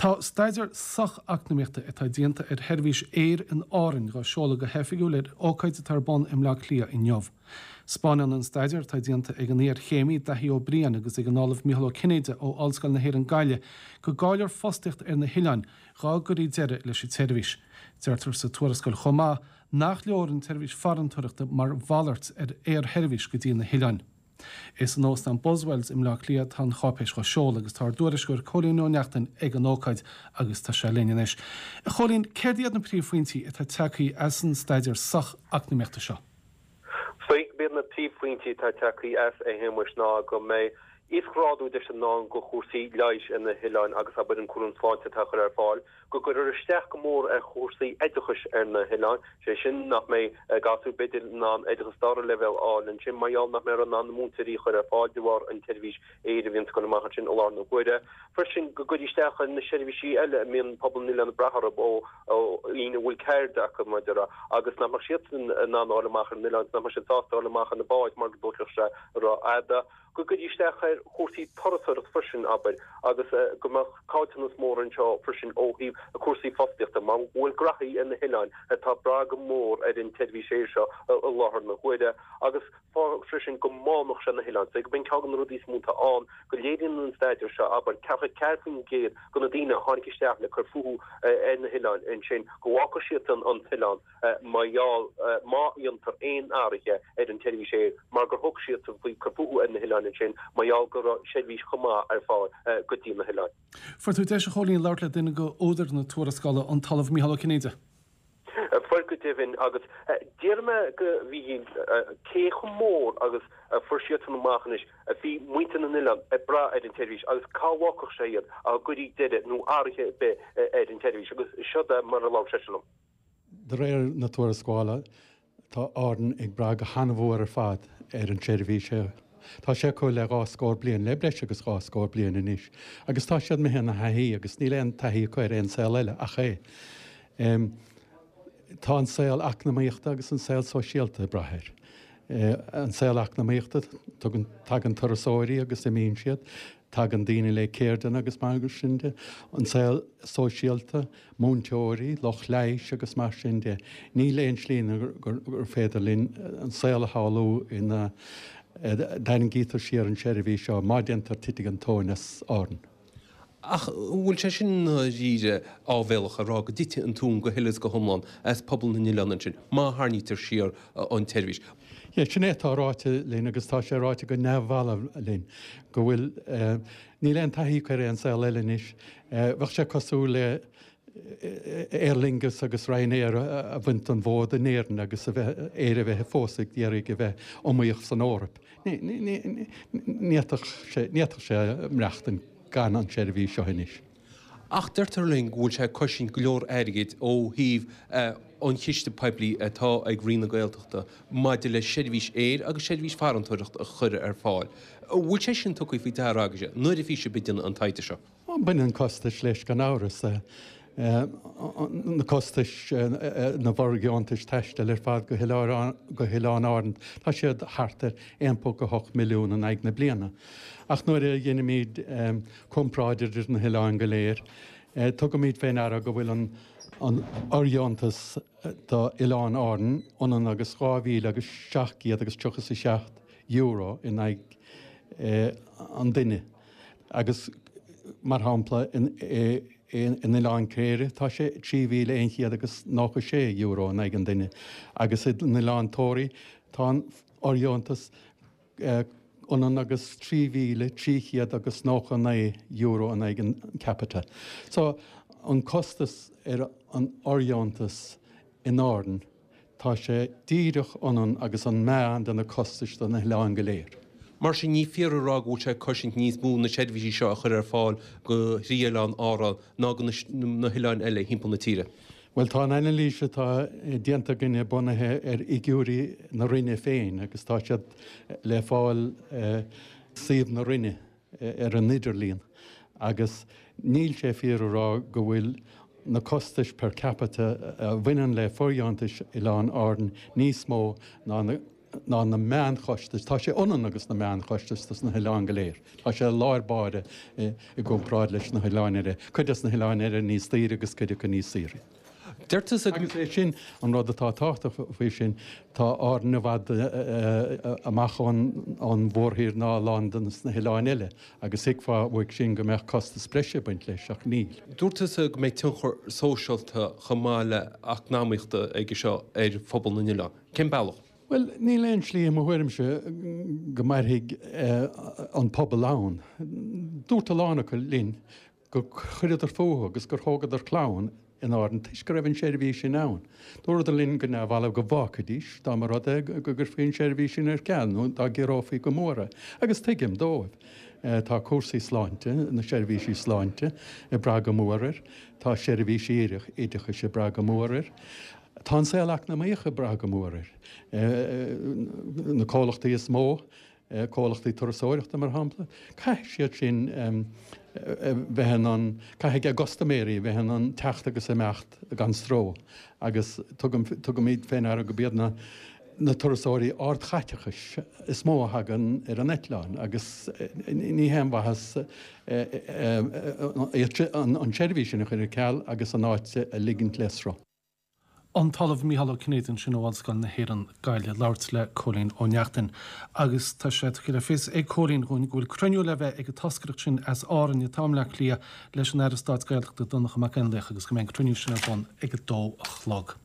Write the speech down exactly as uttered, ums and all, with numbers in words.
Tá staidéar socheacnamaíochta atá déanta ar sheirbhís aeir in Árainn dhá seoladh go hoifigiúil ar ócáid atá ar bun i mBleá Cliath inniu. Spáineann an staidéar atá déanta ag an iarchéimí Daithí Ó Briain agus ag an Ollamh Mícheál Ó Cinnéide ó Ollscoil na hÉireann Gaillimh go gcaillfear fostaíocht ar na hoileáin dá gcuirfí deireadh leis an tseirbhís. Deirtear sa tuarascáil chomh maith nach leor an tseirbhís farantóireachta mar mhalairt ar aersheirbhís go dtí na hoileáin. Is in Óstán Buswells i mBleá Cliath atá an cháipéis á seoladh agus tá ár dtuairisceoir Cóilín Ó Neachtain ag an ócáid agus tá sé linn anois. A Chóilín, céard iad na príomhphointí atá tagtha as an staidéar socheacnamaíochta seo? B'iad na príomhphointí atá tagtha as a Shéamuis ná go mbeidh íosghrádú deis i ndán do chúrsaí leighis ar na hoileáin agus abair an cúram sláinte atá á chur ar fáil, go gcuirfear isteach go mór ar chúrsaí oideachais ar na hoileáin, sé sin nach mbeidh gasúir b'fhéidir in ann oideachas dara leibhéal a fháil ansin mar gheall nach mbeifear in ann na múinteoirí a chur ar fáil de bharr an tseirbhís aeir a bhíonn ag dul amach ansin i láthair na huaire. Freisin go gcuirfí isteach ar na seirbhísí eile a mbíonn pobal na n-oileán ag brath orthu ó dhaoine a bhfuil ceird acu mar a déarfá agus nach mbeadh siadsan in ann a dhul amach ar na hoileáin, nach mbeadh siad sásta a dhul amach ar na báid mar go dtógfadh sé rófhada. go gcuirfí isteach ar chúrsaí turasóireachta freisin, abair, agus go mbeadh caillteanas mór anseo freisin ó thaobh cúrsaí fostaíochta, mar go bhfuil graithí ar na hoileáin atá ag brath go mór ar an tseirbhís aeir seo i láthair na huaire, agus freisin go mbánódh sé na hoileáin. So go b'in ceann de na rudaí is mó atá ann, go léiríonn an staidéar seo, abair, ceathracha ceathair faoin gcéad de na daoine a tháinig isteach le cur fúthu ar na hoileáin ansin, go bhfágfadh siadsan an t-oileán. mar gheall má dhéantar aon athruithe ar an tseirbhís aeir mar gur thug siadsan faoi cur fúthu ar na hoileáin ansin mar gheall go raibh seirbhís chomh maith ar fáil go dtí na hoileáin. Fuair tú deis, a Chóilín, labhairt le duine de údair na tuarascála, an tOllamh Mícheál Ó Cinnéide. Fuair go deimhin, agus d'iarr mé de Mhícheál cé chomh mór agus a fuair siadsan amach anois a bhí muintir na n-oileán ag brath ar an tseirbhís agus cá bhfágfadh sé iad dá gcuirfí deireadh nó athruithe ar bith ar an tseirbhís agus seo é mar a labhair seisean liom. De réir na tuarascála, tá Árainn ag brath go han-mhór ar fad ar an tseirbhís seo. Tá sé acu le dhá scór bliain, le breis agus dhá scór bliain anois, agus tá siad imithe ina thaithí agus níl aon taithí acu ar aon saol eile ach é. Tá an saol eacnamaíochta agus an saol sóisialta ag brath air. An saol eacnamaíochta, tugann, tagann turasóirí agus imíonn siad, tagann daoine le ceirdeanna agus mar sin de. An saol sóisialta, múinteoirí, lucht leighis agus mar sin de. Níl aon slí gur féidir linn an saol a shamhlú ina dtarraingítear siar an tseirbhís seo, má déantar titfidh an tóin as Árainn. Ach an bhfuil sé sin i ndáiríre áibhéalach a rá go dtitfidh an tóin go huile is go hiomlán as pobal na n-oileán ansin má tharraingítear siar an tseirbhís? Yeah, sin é atá ráite linn agus tá sé ráite go neamhbhalbh linn go bhfuil, níl aon taithí acu ar aon saol eile anois. Bheadh sé cosúil le Aer Lingus agus Ryanair a bhaint den bhfód in Éirinn agus a bheith, Éire a bheith fós ag iarraidh a bheith iomaíoch san Eoraip. Ní fhéadfadh sé, ní fhéadfadh sé maireachtaint gan an tseirbhís seo anois. Ach deirtear linn go bhfuil sé ag cosaint go leor airgid ó thaobh an chiste poiblí atá ag Roinn na Gaeltachta maidir le seirbhís aeir agus seirbhís farantóireachta a chur ar fáil. An bhfuil sé sin tugtha faoi deara agaibhse nuair a bhí sibh ag déanamh an taighde seo? Baineann costais leis gan amhras. Na costais na bhfóirdheontais taistil ar fad go hOileáin Árann, tá siad thart ar aon ponc a hocht milliún in aghaidh na bliana. Ach nuair a dheinimid comparáid idir na hoileáin go léir, tugaimid fé ndeara go bhfuil an fhóirdheontas do Oileáin Árann ionann agus dhá mhíle agus seacht gcéad agus tríocha is a seacht euro in aghaidh an duine agus, mar shampla, in Oileán Cléire tá sé trí mhíle aon chéad agus nócha sé euro in aghaidh an duine agus in Oileán Tóraí tá an fhóirdheontas ionann agus trí mhíle trí chéad agus nócha naoi euro in aghaidh an capita. So, an costas ar an fhóirdheontas in Árainn, tá sé díreach ionann agus an meán de na costais do na hoileáin go léir. Mar sin, ní fíor a rá go bhfuil sé ag cosaint níos mó na seirbhísí seo a chur ar fáil do thrí oileán Árann ná do na hoileáin eile thimpeall na tíre. Bhuel, tá an anailís atá déanta againne bunaithe ar fhigiúirí na Roinne féin agus tá siad le fáil ar suíomh na Roinne ar an idirlíon agus níl sé fíor a rá go bhfuil na costais per capita a bhaineann le fóirdheontais Oileáin Árann níos mó ná na ná na meánchostais, tá sé ionann agus na meánchostais dos na hoileáin go léir. Tá sé lár báire i gcomparáid leis na hoileáin eile, cuid des na hoileáin eile níos daoire agus cuid acu níos saoire. Deir tusa go. Agus é sin an rud atá tábhachtach faoi sin, tá Árainn i bhfad amach ón mhórthír ná a lán de na hoileáin eile agus thuigfeá uaidh sin go mbeadh costas breise ag baint leis, ach níl. Dúirt tusa go mbeidh tionchar sóisialta chomh maith le eacnamaíochta aige seo ar phobal na n-oileán. Cén bealach? Bhuel, níl aon slí i mo thuairimse go mairfidh an pobal ann. Dúirt a lán acu linn gur chuireadar fúthu agus gur thógadar clann in Árainn toisc go raibh an tseirbhís sin ann. Dúradar linn go neamhbhalbh go bhfágfaidís dá mba rud é go gcuirfí an tseirbhís sin ar ceal nó dá gciorrófaí go mór é. Agus tuigim dóibh. Tá cúrsaí sláinte, na seirbhísí sláinte, ag brath go mór air. Tá seirbhísí oideachais ag brath go mór air. Tá an saol eacnamaíoch ag brath go mór air. Na comhlachtaí is mó, comhlachtaí turasóireachta mar shampla, caithfidh siad sin bheith in ann, caithfidh a gcustaiméirí bheith in ann teacht agus imeacht gan stró agus tugaimid fé ndeara gurb iad na na turasóirí ardchaiteachais is mó a thagann ar an eitleán agus ní haon mhaitheas an tseirbhís sin a chur ar ceal agus an áit a ligint le sruth. An tOllamh Mícheál Ó Cinnéide ansin ó Ollscoil na hÉireann, Gaillimh, ag labhairt le Cóilín Ó Neachtain. Agus tá sé tugtha le fios ag Cóilín dhúinn go bhfuil cruinniú le bheith ag an toscaireacht sin as Árainn atá i mBleá Cliath leis an Aire Stáit Gaeltachta Donncha Mac Fhionnlaoich agus go mbeidh an cruinniú sin ar bun ag a dó a chlog.